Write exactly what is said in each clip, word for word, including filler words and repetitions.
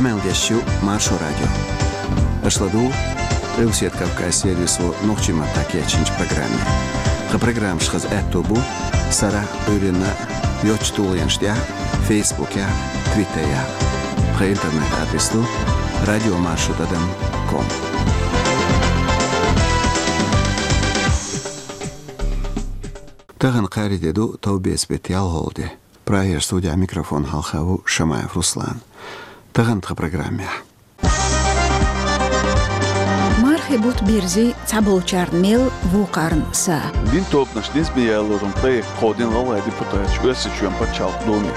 Къамел деш ю Маршо радио. Аша ладугӀу Къилбаседа Кавказ сервисо нохчийн маттахь кечйинчу программе. Тхан программаш хаза аьтто бу сарахь а, Ӏуьйранна а йоцчу тулгӀенаш тӀехь а, Фейсбукехь а, Твиттерехь а. Тхан интернет-адрес ду радиомаршо тӀадам ком. Тахана кхаарин де ду, товбеца беттан ялхолгӀа де. Прагера студехь микрофон хьалха ву Шамаев Руслан. Тахана тхан программехь. Мархин бутт бирзи, цхьаболчарна мел, вукхарна са. Динан тобанаш низаме ялоран проект кховдийна ГӀалгӀайн депутаташа Оьрсийчоьнан пачхьалкхан думе.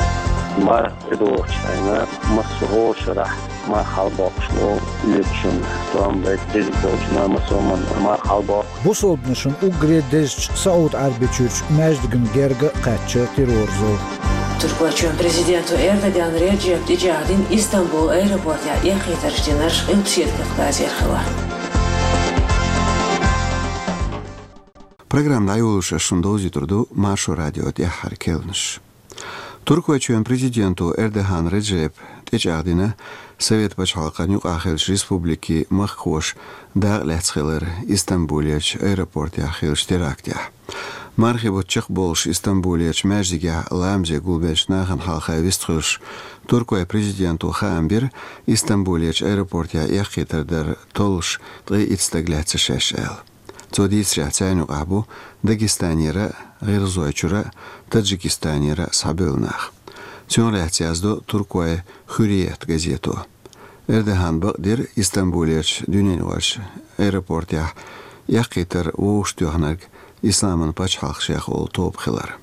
Марха тӀедогӀучу хенахь массо а гӀо шарахь марха хьалабоккхуш ло луьрачунна, тӀом байтина дезиг долчунна массо а марха хьалабоккху. Бусалбанашна уггаре дезачу СаӀуд-Ӏаьрбийчуьрчу маьждигна герга а кхаьчна терроризм. Туркойчоьнан президенто Эрдоган Реджепа тӀечӀагӀдина Истамбулан аэропортехь эккхийтарш динарш Къилбаседа Кавказера хиларх. Программа дӀайолош ас шуна довзуьйтур ду Маршо радион тӀаьххьара керланаш. Туркойчоьнан президенто Эрдоган Реджепа тӀечӀагӀдина Совет пачхьалкхан юкъахь хиллачу республикийн махкахоша дакъа лаьцна хилар Истамбулерчу аэропортехь хиллачу терактехь. Мархин бутт чекхболуш Истамбулерчу маьждигехь ламазе гулбеллачу нахана хьалха вистхуьлуш, туркойн президенто хаам бира Истамбулерчу аэропортехь эккхийтар дар толлуш ткъе итт стаг лаьцна шаьш аьлла. Цо дийцарехь, царна юкъахь бу Дагестанера а, ГӀиргӀазойчуьра а, Таджикистанера а схьабевлла нах. Цунах лаьцна яздо туркойн Хьурриет газето. Эрдогана бакъдира Истамбулерчу дуьненаюкъарчу аэропортехь эккхийтар вовшахтоьхнарг Исламан пачхьалкх шех олу тоба хилар.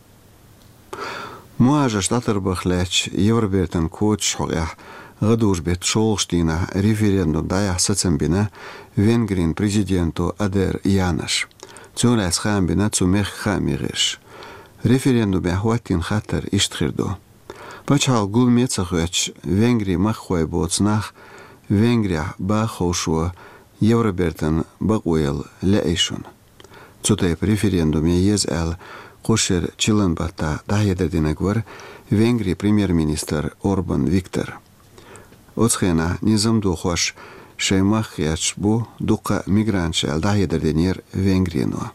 Мухажарш дӀатарбарх лаьттачу Евробертан квоташ хьокъехь гӀадужу-беттан шолгӀачу дийнахь референдум дӀаяхьа сацам бина Венгрин президенто Адер Янаш. Цунах лаьцна хаам бина цу мехкан хаамийн гӀирсаша. Референдумехь хӀоттийна хаттар иштта хир ду: пачхьалкх гуламе а ца хоьттуш, Венгрин махкахой боцу нах Венгрехь баха ховшо Евробертан бакъо яла лаьий шуна? Цу тайпа референдум ян еза аьлла, кху шеран чиллан баттахь дӀахьедар динарг вара Венгрин премьер-министр Орбан Виктор. Оцу хенахь низам дохош шайн махка гӀерташ бу дуккха а мигранташ аьлла дӀахьедар динера Венгрино.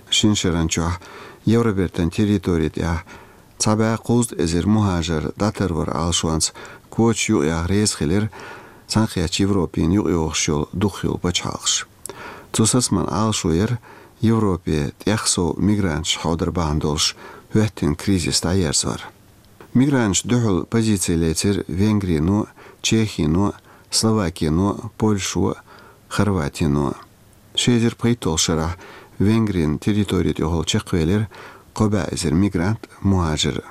Шина шаран чохь Евробертан территори тӀехь цхьа бӀе кхузткъа эзар мухажар дӀатарвар Ӏалашонца квоташ юкъаяха реза хилира цхьаьнакхеттачу Европина юкъайогӀуш йолу дукхахйолу пачхьалкхаш. Цу сацаман Ӏалашо яра Европе тӀех сов мигранташ хьовдар бахьана долуш хӀоьттина кризис дӀаерзор. Мигранташна дуьхьал позици лецира Венгрино, Чехино, Словакино, Польшо, Хорватино. Ши эзар пхийтталгӀачу шарахь Венгрин территори тӀехула чекхвелира кхо бӀе эзар мигрант, мухажар.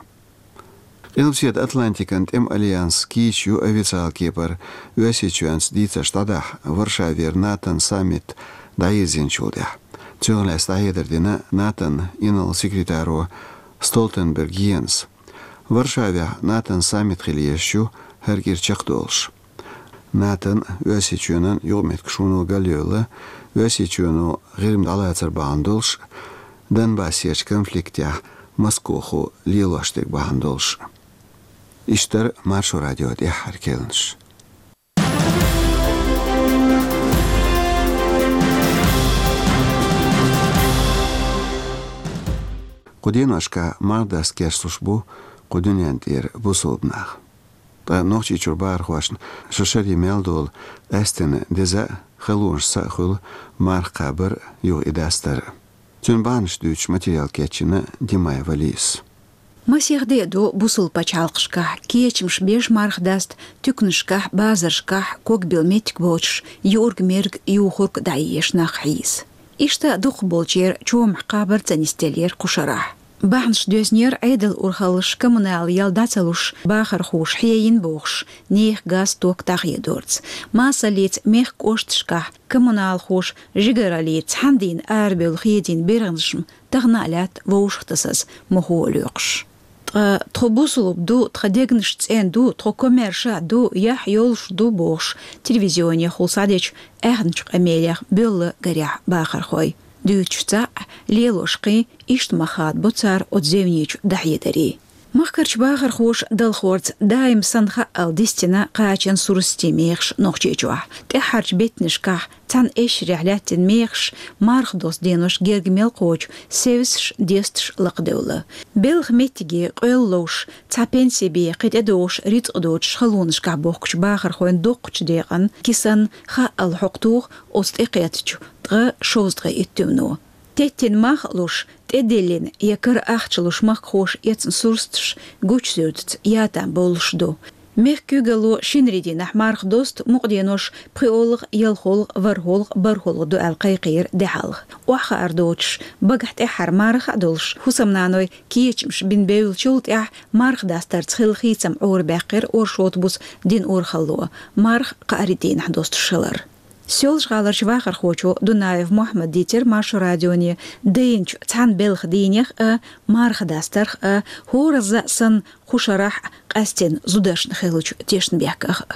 Къилбаседа Атлантикан тӀеман альянс кийча ю официалан кепара Оьрсийчоьнца дийцарш дӀадахьа Варшавера НАТОн саммит дӀайирзинчул тӀаьхьа. Цунах лаьцна дӀахьедар дина НАТОн инарла секретаро Столтенберг Йенса. Варшавехь НАТОн саммит хила езаш ю хӀара кӀира чекхдолуш. НАТОн, Оьрсийчоьнан юкъаметтигашоно галъевлла, Оьрсийчоьно ГӀирма дӀалацар бахьана долуш, Донбассерчу конфликтехь Москохо лелош дерг бахьана долуш. Иштта дара Маршо радион тӀаьххьара керланаш. Кху деношкахь марха даста кечлуш бу кху дуьнен тӀера бусалба нах. Ткъа Нохчийчуьра бахархошна шо шаре мел долу къаьсттина деза а, халонашца а хуьлу марха кхабар а, юха и дастар а. Цуьнан бахьанаш дуьйцуш материал кечйина Димаева Лизас. Масех де а ду бусалба пачхьалкхашкахь кечамаш беш марха даста, туьканашкахь, базаршкахь, ког билла меттиг боцуш, юург-мерг, юхург дӀаезаш нах хьийза. Иштта дукхахболчеран чомахь кхабар ца нисделлера кху шарахь. Бахьанаш доьзнера Ӏедалан урхаллаша коммуналан ял дӀа ца луш, бахархоша хьийзийна бохуш, нехан газ, ток дӀахедорца. Масаллица мехкан кӀошташкахь коммуналхоша жигараллица цхьана дийнахь арабевлла хедийна бергӀанаш-м тахана а лаьтта вовшахтасаза мухо а лоькхуш. Ткъа тхо бусалба ду, тхан дегнаш цӀена ду, тхо комаьрша а ду, яхь йолуш ду бохуш, телевизионехула схьадечу аьхначу къамелех боьлла гарехь бахархой. Дуьйцуш цхьаъ, лелош кхин, иштта ма хадабо цара оцу зевнечу дӀахьедарийн. Махкарчу бахархоша далхорца даим санна хаъал дистина кхачан сурсатийн мехаш Нохчийчохь. ТӀаьххьарчу беттанашкахь цхьана эшарехь лаьттина мехаш марха досту денош герга мел кхочу севсаш, десташ лакхадевлла. Белхан меттиге къоьлла ловш, цхьа пенси бен кхин тӀедогӀуш рицкъ доцуш халонашкахь бохкучу бахархойн доккхачу декъан кисана хаъал хьокху туху оцу тӀекхеттачу ткъа шовзткъе итт туьмано. Теттина мах а луш, тӀедиллина я кара ахча луш махкахоша эцна сурсаташ гучу суьртаца ятам бовлуш ду. Мехкан куьйгалло шинарин дийнахь марха досту мукъа денош пхоьалгӀа, ялхолгӀа, ворхӀолгӀа, бархӀолгӀа ду аьлла кхайкхийра де хьалха. Охьахаар доцуш, багахь тӀаьххьара марха а долуш, хӀусамнаной кечамаш бина бевллачул тӀаьхьа марха дастарца хилла хийцам Ӏорабаьккхира оршот буса дина урхалло. Марха кхаарин дийнахь достуш хилар. Соьлжа-ГӀаларчу вахархочо Дунаев Мухьаммада дийцира Маршо радионе, дайначу цхьана белхан дийнех а, марха дастарх а, хӀоразза а санна кху шарахь а къаьстина зударшна хиллачу тешнабехках а.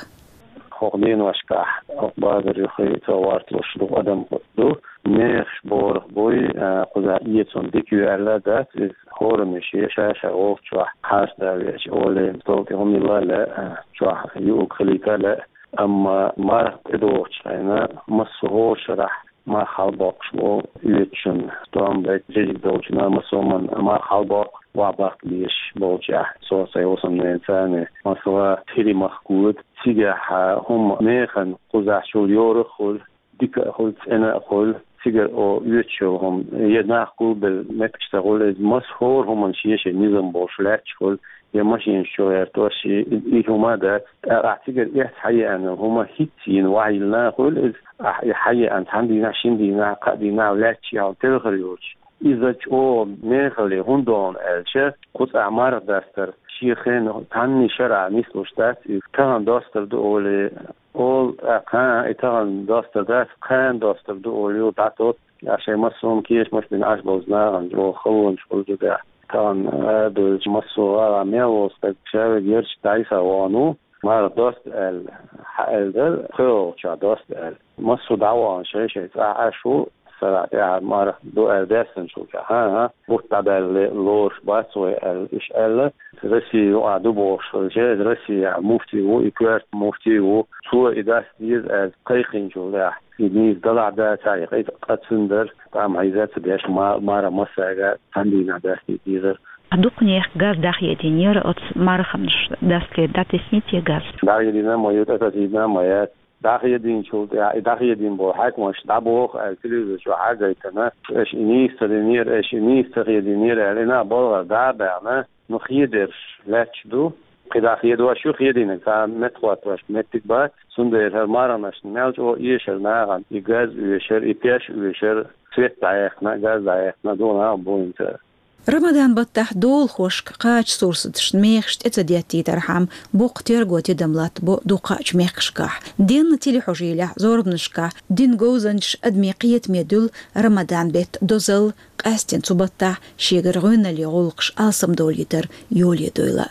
ХӀокху деношкахь хӀокху базар юххе цо гӀорталуш дукха адам ду. Мехаш борах буй, а, кхузахь эцун дика ю аьлла дац, иза хӀорамаш е ша-ша вовчохь хьаста веача, оле, стол тӀе хӀума йилла а лаьа, а, чохь юург хилийта а лаьа. Амма марха тӀедогӀучу хенахь массо а хӀора шарахь марха хьалабоккхуш бу оьцучунна, стом бен жижиг долчунна, массо а хӀуманна марха хьалабоккху, охьабаккха безаш болчехь, со а, сайн хӀусамненацаний. Масала, тири махка года, цигахь хӀума механа кхузахь чул йора а хуьлу, дика а хуьлу, цӀена а хуьлу, цигара о оьцуш йолу хӀума, я нах гулбелла меттигаш ца хуьлу, иза массо а хӀора хӀуманна шен-шен низам болуш лаьтташ хуьлу, я машинаш чу гӀертош, и, и хӀума а дац. ТӀаккха ахь цигара эцна хьаеана хӀума хӀинцца йина охьайиллина а хуьлу иза, ахь и хьаеана цхьана дийнахь, шина дийнахь, кхаа дийнахь лаьтташ яхьал телхар йоцуш. Иза чӀогӀа мехала хӀунда догӀу аьлча, кху цӀахь марха дастар шен хенахь цхьанний шарахь нислуш дац, иза тахана достар ду олий, олу, тӀаккха, и тахана достар дац, кхана достар ду олий, дӀатотту, я шайн массо а кешамаш бина Ӏаш болчу нахана чӀогӀа халонаш хуьлу цигахь. Тахана, а, дуьллучу массо а гӀала мел волу стаг ша верг ярташка дӀасавогӀур ву, марха досту аьлла, хьааьлла дара, пхоьалгӀачохь досту аьлла. Массо а дӀавахана шай-шайн цӀахь Ӏаш ву, сарахь тӀаьхьа марха ду аьлла даьссанчул тӀаьхьа, а, бутт дӀабаьлла лоруш бац вай аьлла, иштта аьлла. Россия юкъахь ду бохуш хилча, Россияхь муфти ву, и коьрта муфти ву, цо и даста деза аьлла кхайкхинчул тӀаьхьа, и нийса далахь дацахь, и къа-, къа цуьнан дара, тӀам хьийза а ца деш, ма-, марха массаьрга цхьана дийнахь дастийта дезара. Дукханех газ дӀахедийнера оцу марханаш дастаре, дӀатесний те газ? ДӀахедийна ма ю, тӀатасийна ма яц. ДӀахедийначул тӀаьхьа, и дӀахедийна болу хьаькамаш дӀабоху аьлла телевизор чохь хьагайтина, аша и нийса ца динера, аша и нийса ца хедийнера аьлла, и нах балхара дӀа а баьхна, ну, хедерш лаьтташ ду. КхидӀа хедош ю, хедийнарг цхьа меттахӀоттош меттиг бац, цундела хӀара марханашна мел чӀогӀа эшар нахана, и газ оьшар, и пеш оьшар, свет дӀаяьккхина, газ дӀаяьккхина, дукха нах а бу хӀинца. Рамадан баттахь долахошка кхачу сурсаташна мехаш тӀе ца деттийтархьама, боккха терго-тидам латтабо дукхачу мехкашкахь. Денна телехьожийлехь, зорбанашкахь дина говзанчаш адамийн кхетаме дуьллу Рамадан беттан дозалла, къаьсттина цу баттахь шегара гӀоьналлин гӀуллакхаш алсамдолийтар йоле дойла.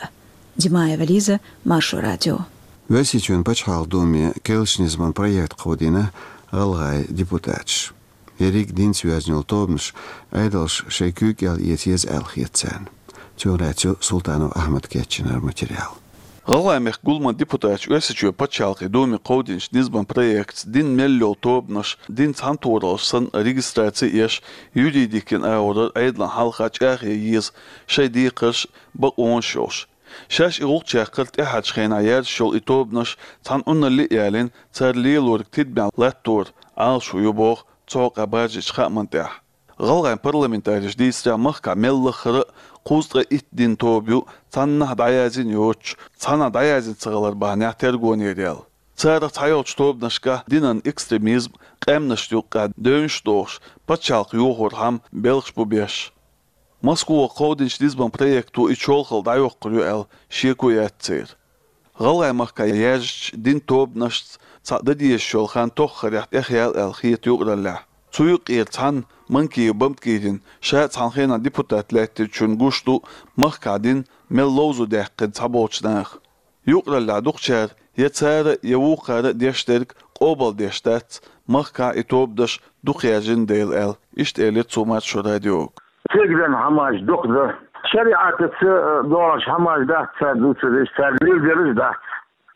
Димаева Лиза, Маршо радио. Оьрсийчоьнан пачхьалкхан Думе керлачу низаман проект кховдийна гӀалгӀайн депутаташа. Ерриг динца йоьзна йолу тобанаш Ӏедалша шайн куьйга кӀел эца еза аьлла хета царна. Цунах лаьцна ю Султанов Ахьмада кечйинарг материал. ГӀалгӀайн мехкан гуламан депутаташа Оьрсийчоьнан пачхьалкхан Думе кховдийначу низаман проектаца динан мел йолу тобанаш динан цхьаьнатохараллаш санна регистраци а еш, юридикин агӀор Ӏедална хьалха чӀагӀъян еза шайн декхарш а, бакъонаш а йолуш. Шаьш и гӀуллакх чекхъяр тӀаьххьарчу хенахь яьржаш йолу и тобанаш цхьана Ӏуналли а ялийна, цара лелориг тидамехь латтор Ӏалашо ю боху цу хьокъехь баржийначу хааман тӀехь. ГӀалгӀайн парламентариша дийцарехь, махкахь мел лаххара а кхузткъе итт динан тоба ю, цхьаннахьа дӀаяздина йоцуш, цхьанхьа дӀаяздина ца хилар бахьанехь тергонера яьлла. Царах цхьайолчу тобанашкахь динан экстремизм, къаьмнашна юккъехь девнаш а дохуш, пачхьалкх йохорхьама белхаш бу беш. Москвахь кховдийначу низаман проекто и чолхалла дӀайоккхур ю аьлла шеко яц церан. ГӀалгӀайн махкахь яьржачу динан тобанашца цхьаъ дан дезаш йолу хан тоххарехь тӀехъяьлла аьлла хета юкъараллехь. Цу юккъера цхьанна Манкиев Бамтгирина, ша а цхьана хенахь депутат лаьттинчунна гуш ду махкахь дин мел ловзо даьккхина цхьаболчу наха. Юкъараллехь дукхачара я цара, я вукхара а деш дерг къобалдеш дац, махкахь и тобанаш дукха яьржина дела аьлла, иштта элира цо Маршо радиога. Цигара хӀуманаш дукха ду, ШариӀатаца, э, доагӀаш хӀамаш дац цар дувцараш, цар лелдераш дац.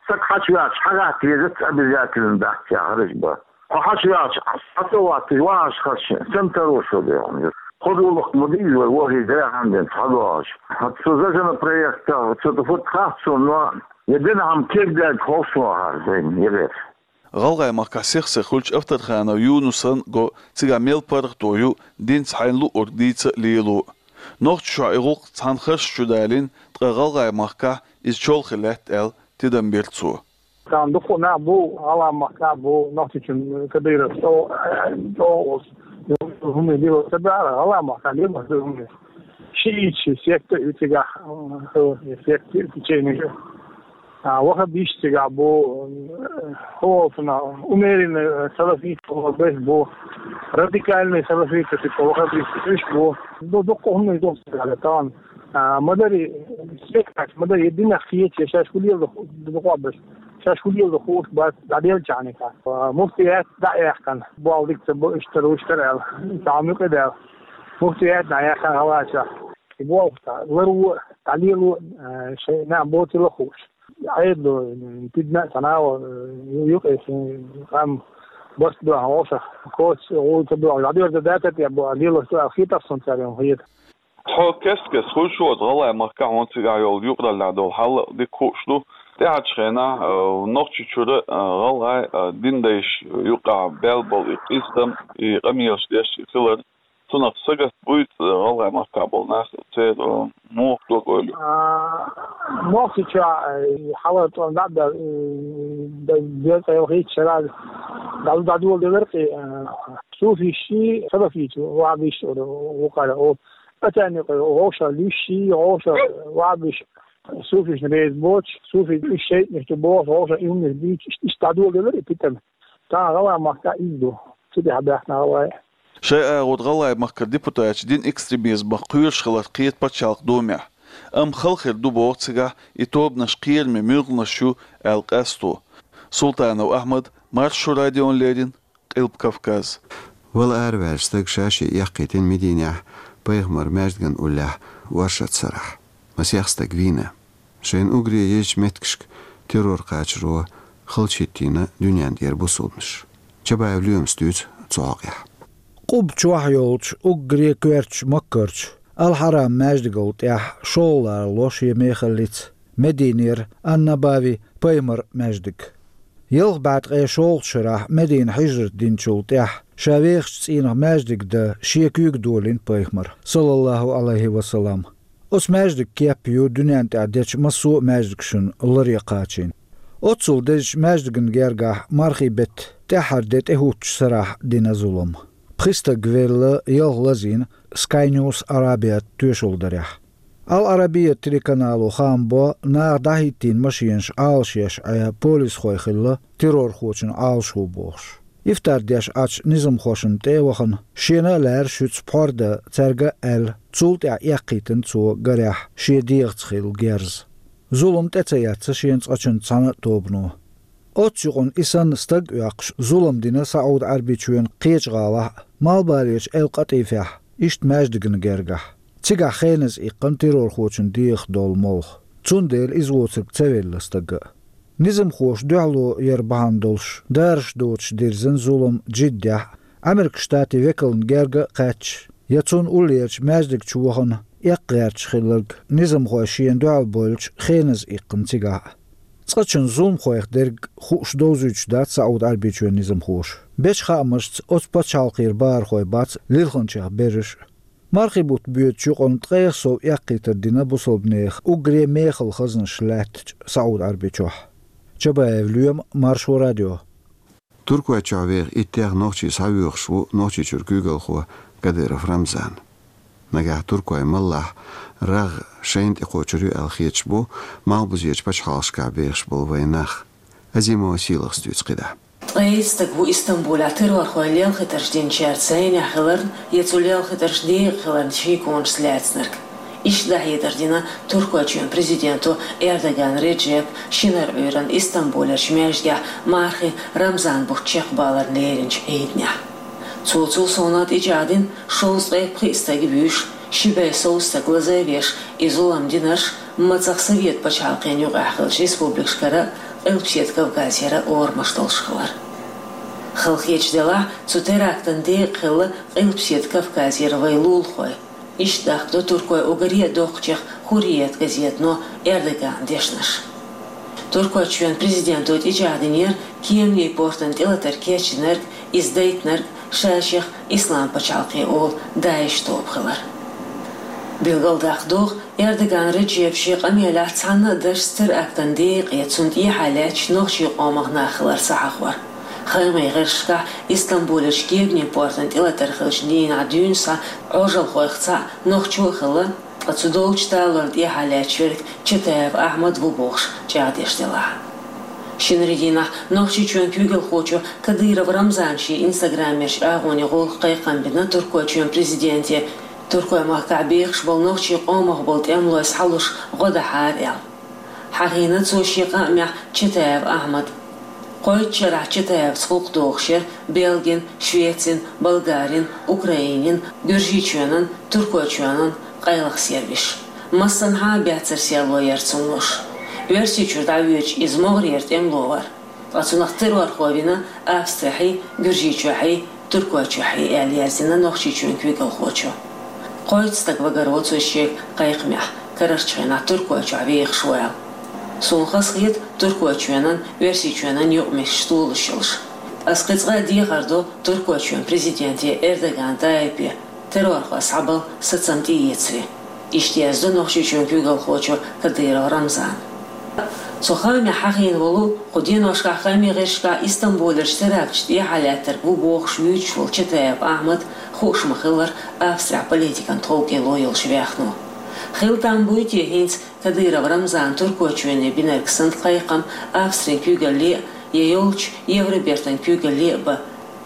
Саг хьачувеча хьагӀатта везац, обязательно дац яхараш ба. Хьо хьачувеча, хьа ца ватташ вагӀаш хилча, сенна таро шо, дий хьона. Кхо дола ма дий из вай, вохий деррига хӀама денз хьадоагӀаш. ХӀаьта цу зазана проектах, цу тӀа фуд хац сона, но е дина хӀама кегдаьлга хов сона хӀара дайна, е гӀер. ГӀалгӀай махкахь сих-сиха хуьлучу Авторханов Юнусан го цигахь мел паргӀато ю динца хьайна луъург дийца а, лело а. Нохчийчохь и гӀуллакх цхьана харш чу далийна, ткъа ГӀалгӀай махкахь иза чолхе лаьтта аьлла, тидам бира цо. Царна дукха нах бу, ГӀалгӀай махкахь бу, Нохчийчоьнан Кадыров чӀогӀа, чӀогӀа волуш, хӀума лело ца баьхьара, ГӀалгӀай махкахь лело ца хӀума. Шиитский секта ю цигахь, э, секта ю, течение ю. А, ваххабисташ цигахь бу, э, хӀо волчунах, умеренный, э, салафит, хӀо беш бу, радикальный салафит, типа, ваххабисташ уьш бу. Ду-, дуккха хӀуманаш ду цигахь тахана. А, ма дарий, секташ, ма дарий, динах кхеташ, шаьш хӀун леладо, дукхахберш, шаьш хӀун леладо хууш бац, дӀаделлачхьана. А, муфтият дӀа а яьккхина, болх дика ца бо, иштта тара, уьш тара аьлла, цхьа хӀума юкъа даьлла. Муфтият дӀа а яьккхина гӀалгӀайчохь. И болх ларво, дӀалело, а, шайн нах боцийла хууш. Ӏедало, м, пидна а ца нагӀо, э, юкъе шайн къам барт баьхьа вовшах, коч гӀуй ца боьгӀу, дӀадоьрзу датар тӀе бу, лелаш ду аьлла хетар сона цара, хета. Тхо кест-кеста хуьлуш ву оцу ГӀалгӀай махкахь, хӀунда цигахь йолу юкъараллехь долу хьал дика хууш ду. ТӀаьхьарчу хенахь, э, Нохчийчуьра, э, гӀалгӀай, э, дин дайша юкъахь баьлла болу и къиза, и къамелаш деш хилар. Цунах сагатта буьйцу, э, ГӀалгӀай махкахь болу нах, церан, э, муха дог-ойла ю? А, Нохчийчохь, э, хьалар тӀом дӀа а баьлла, э, дезткъе ялхитта шарахь дӀа-, дӀадоладелира кхин, э, суфистий, салафитий, ваххабистий олу вукхара, олу. Атани кхин вовшах луьйш, вовшах ваххабистий, суфисташна реза боцуш, суфисташ шайтӀанаш ду бохуш, вовшах и хӀуманаш дуьйцуш, иштта дӀадоладелира и питана. Тахана ГӀалгӀай махкахь иза ду. Цу тӀехь баьхна гӀалгӀай. Шайн агӀор ГӀалгӀай махкара депутаташ дин экстремизмах кхоьруш хиларх кхета Пачхьалкхан Думехь. Амма хала хир ду боху цигахь и тобанаш кхераме муьлханаш ю аьлла къасто. Султанов Ахьмад, Маршо радиона леррина, Къилба Кавказ. Вала араваьллачу стага ша-шен эккхийтина Мединехь пайхамаран маьждиган уллехь оршот сарахь. Масех стаг вийна. Шайна уггаре езачу меттигашка террор кхачаро халчахӀиттийна дуьнен тӀера бусалбанаш. Чабаев Лоьмас дуьйцу цу хьокъехь. Къубба чохь йолчу уггаре коьртачу Маккарчу Ал-Хьарам маьждигал тӀехь шолгӀа ларо шен мехаллица Мединера Ан-Набави, пайхамаран маьждиг. Ялх бӀе ткъе шолгӀачу шарахь Медина хьижрат динчул тӀаьхьа ша вехачу цӀийнах маьждиг дан шен куьйга долийна пайхамара, саллаллахӀу Ӏалайхи ва саллам. Оцу маьждиган кеп ю дуьнен тӀехь дечу массо а маьждигашна ларъян кхачийна. Оццул дезачу маьждигна гергахь мархийн беттан тӀаьххьара де тӀехӀуттучу сарахь дина зулам. Пхи стаг велла, ялх лазийна Sky News Arabiat тоьшалла дарехь. Ал-Арабия телеканало хаам бо, наха дӀахӀиттийна машенаш Ӏалашъеш Ӏе полисхой хилла, террорхочун Ӏалашо бохуш. Ифтар деш Ӏачу низамхошна тӀе а вахана, шена а лаьрра шуьца пхьор дан цаьрга а аьлла, цул тӀаьхьа эккхийтина цо гарехь шен дегӀаца хилла герз. Зулам тӀе ца эцна шена цкъачунна цхьана а тобано. Оццу юкъана и санна стаг а оьккхуш, зулам дина СаӀуд-Ӏаьрбийчоьнан кхечу гӀалахь а, Малхбалерчу Эл-КъатӀифехь, иштта маьждигна гергахь. Цигахь хеназа иккхина террорхочун дегӀах долу молха. Цундела иза воцург ца велла стага а. Низамхоша дуьхьало яр бахьана долуш, дараш доцуш дирзина зулам Джиддехь а, Ӏамеркан Штатийн векална герга а кхаьчча, я цунна уллерчу маьждиг чу вахана, эккха гӀерташ хилларг низамхой шена дуьхьал бовлучу хеназа иккхина цигахь а. Цкъачунна зуламхойх дерг хууш довзуьйтуш дац СаӀуд-Ӏаьрбийчоьнан низамхоша. Бечу хаамашца, оцу пачхьалкхера бахархой бац лилхинчех берриш а. Мархийн бутт боьдучу юкъана ткъех сов эккхийтар дина бусалбанех уггаре мехала хазнаш лаьттачу СаӀуд-Ӏаьрбийчохь. Чабаев Лоьма, Маршо радио. Туркойчохь веха иттех нохчи схьавоьхуш ву Нохчийчуьра куьйгалхо Кадыров Рамзан. Нагахь туркой маллахь рагӀ шайна тӀекхочур ю аьлла хеташ бу малхбузерчу пачхьалкхашкахь бехаш болу вайн нах. Азимова Сийлахас дуьйцу кхидӀа. Ткъе итт стаг ву Истамбулехь террорхойн лелхийтарш динчаьрца зӀенехь хиларна я цу лелхийтаршна декъа хиларна шеконаш лаьцнарг. Иштта дӀахьедар дина Туркойчоьнан президенто Эрдоган Реджепа шинарин Ӏуьйранна Истамбулерчу маьждигехь мархийн Рамзан бутт чекхбаларна леринчу Ӏийданехь. Цо цул совнаха тӀечӀагӀдина шовзткъе пхиъ стаг вуьйш, Ши бӀаь сов стаг лазавеш, и зулам динарш мацах Совет пачхьалкхен юкъахь хиллачу республикашкара, Къилбаседа Кавказера орамаш долуш хилар. Халахеташ делахь, цу терактан декъа хилла Къилбаседа Кавказера вайн лулахой. Иштта дахкадо туркойн уггаре а доккхачех «Хурриет» газетано Эрдогана дешнаш. Туркойчоьнан президенто тӀечӀагӀдинера Кеманийн портана тӀелатар кечдинарг, иза дайтинарг ша-шех Ислам пачхьалкхе олу ДАИШ тоба хилар. Билгалдаккха догӀу, Эрдоган Реджепа шен къамелехь цхьанна а дашца терактан декъе, цунна тӀехьа лаьтташ нохчийн къомах нах хилар ца хьахор. Хаамийн гӀирсашкахь Истамбулерчу Кеманийн портана тӀелатар хиллачу дийнахь дуьйна схьа Ӏожалхойх цхьаъ нохчо а хилла, ткъа цу долчу талорна тӀехьа лаьтташ верг Чатаев Ахьмад ву бохуш чӀагӀдеш делахь. Шинарин дийнахь Нохчийчоьнан куьйгалхочо Кадыров Рамзана шен инстаграмерчу агӀоне гӀуллакх кхайкхам бина Туркойчоьнан президенте, туркойн махкахь бехаш болу нохчийн къомах болу тӀемалой схьалуш гӀо дахьара аьлла. Хьахийна цо шен къамелехь Чатаев Ахьмад. Кхойтта шарахь Чатаевца гӀуллакх дохуш яра Бельгин, Швецин, Болгарин, Украинин, Гуьржийчоьнан, Туркойчоьнан къайлаха сервисаш. Массанхьа а баьццара серло яра цунна луш. Оьрсийчуьра дӀавоьдуш иза могӀарера тӀемало вара. Ткъа цунах террорхо вина Австрехьий, Гуьржийчохьий, Туркойчохьий, аьлла яздина Нохчийчоьнан куьйгалхочо. Кхойтта стаг вагаро цо шен кхайкхамехь, карарчу хенахь Туркойчохь вехаш ву аьлла. Суна хазахета Туркойчоьнан, Оьрсийчоьнан юкъаметтигаш толуш йолуш. Аса кхин цкъа а дехар до Туркойчоьнан президенте Эрдоган Тайипе, террорхой схьабала сацам тӀеэцаре. Иштта яздо Нохчийчоьнан куьйгалхочо Кадыров Рамзана. Цу хаамехь хьахийна волу, кху деношкахь хаамийн гӀирсашкахь Истамбулерчу теракташ тӀехьа лаьттарг ву бохуш вуьйцуш волу Чатаев Ахьмад, хууш ма-хиллара, Австрехь политикан тховкӀело йолуш вехно. Хила там буй те хӀинца Кадыров Рамзана Туркойчоьне бинарг санна кхайкхам Австрин куьйгалле а, я йолчу Евробертан куьйгалле а бан?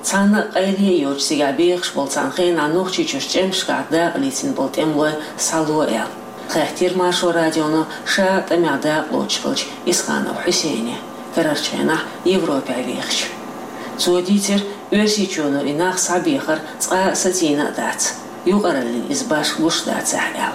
Цхьанна а къайле а йоцуш цигахь бехаш болу, цхьана хенахь Нохчийчуьра чӀемашкахь дакъалецна болу тӀемалой схьало аьлла, хаьттира Маршо радионо ша тӀамехь дакъалоцуш хиллачу Исханов Хьусейне, карарчу хенахь Европехь вехачу. Цо дийцира, Оьрсийчоьно и нах схьабехар цкъа а сацийна а дац, юкъараллин иза башха гуш дацахь аьлла.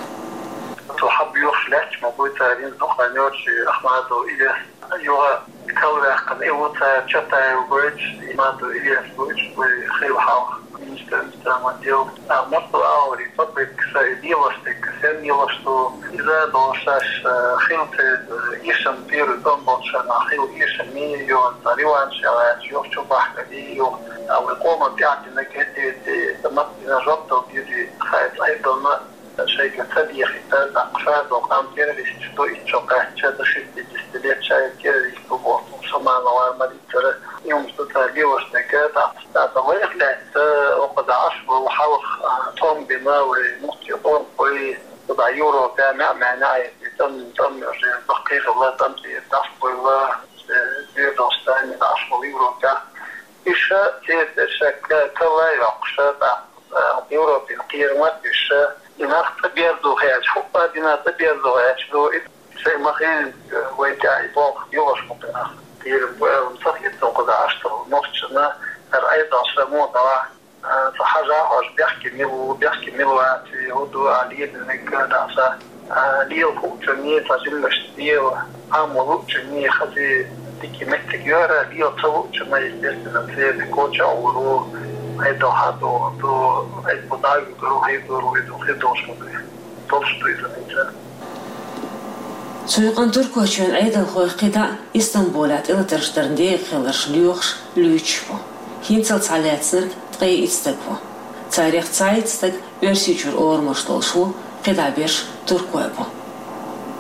Цо хьан боьхуш лаьтташ ма буй цара, хӀинца дукха хан йоцуш Ахмадов Илес. Юха калваьккхина и ву цара, Чатаев гойтуш, Ахмадов Илес гойтуш, вай хилла хьалха министр иностранных дел. А, марсо а вари, попытка ша и лелош дерг, сен лелош ду, иза долуш шаьш, э, хила церан, э, эшам, первый тӀом болчарна хила эшам ма йо, цхьа реванш яхьа, юха чу бахкаде, юха, а, вай къоман тӀаьхьа динарг хӀетте, ца маттина жоп дала дезий, хай цӀа айдална. Шайга ца дехийтар, тӀаккха ша долу къам террористаш ду, итт шо кхаьчча, до шестидесяти лет ша террорист ву боху, Шаманова Марицара, и хӀумаш ду цара лелош дерг, тӀаккха, тӀаккха вайх лаьцна, оха дӀа Ӏаш волу хьалха, а, тӀом бина вай, муфти къонахой, кху дӀа Европа, маьӀ-маьӀна а эцна, тӀам, тӀам, уже баккхий хилла, тӀам тӀера дӀасабевлла, э, Дердостане дӀа Ӏаш волу Европа. Уьш церан тӀе ша ка-, калла а йоккхуш, тӀаккха Европин кхерам а деш, и нах цӀа берзо хеташ, хӀуппа дина цӀа берзо хеташ ду, и шайн ма-хиллара вай тӀехь и болх йолуш ма-хиллара. Кхерам бу аьлла ца хета, кху дӀа Ӏаш долу нохчашна, хӀара айдалш муха дала, а, ца хьажа а хьожа, бехке мила ву, бехке мила вац, хӀун ду а лелийнарг дӀа ца А, лела хуучунний, цхьа жиммашца лела, Ӏамо луучунний, хаза дика меттиг йора, лела ца луучунна, естественно, церан коча а вур ву, айдо хьадо ду, айдо дӀа а вуьгур ву, хӀай дур ву, и ду, хи долуш ма ду. Долуш ду иза хӀинца. Цу юкъана Туркойчоьнан Ӏедалхой кхидӀа Истамбулехь тӀелатарш дарна декъахь хилларш лоьхуш, луьйчуш бу. ХӀинццалц схьалаьцнарг ткъе итт стаг ву. Царех цхьайтта стаг Оьрсийчуьра орамаш долуш ву, кхидӀа берш туркой бу.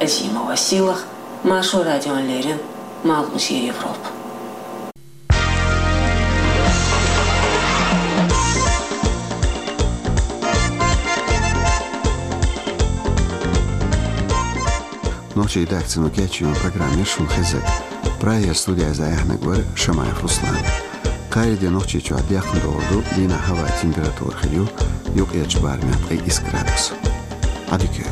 Азимова Сийлаха, Маршо радиона леррина, Малхбузера Европа. Нохчийн редакцино кечйина программа яра шуна хезнарг. Прагера студехь дӀаяьхьнарг вара Шамаев Руслан. Кхаарин де Нохчийчохь дехна догӀур ду, дийнахь хӀаваан температура хир ю юккъерчу барамехь ткъе исс градус. Ӏадика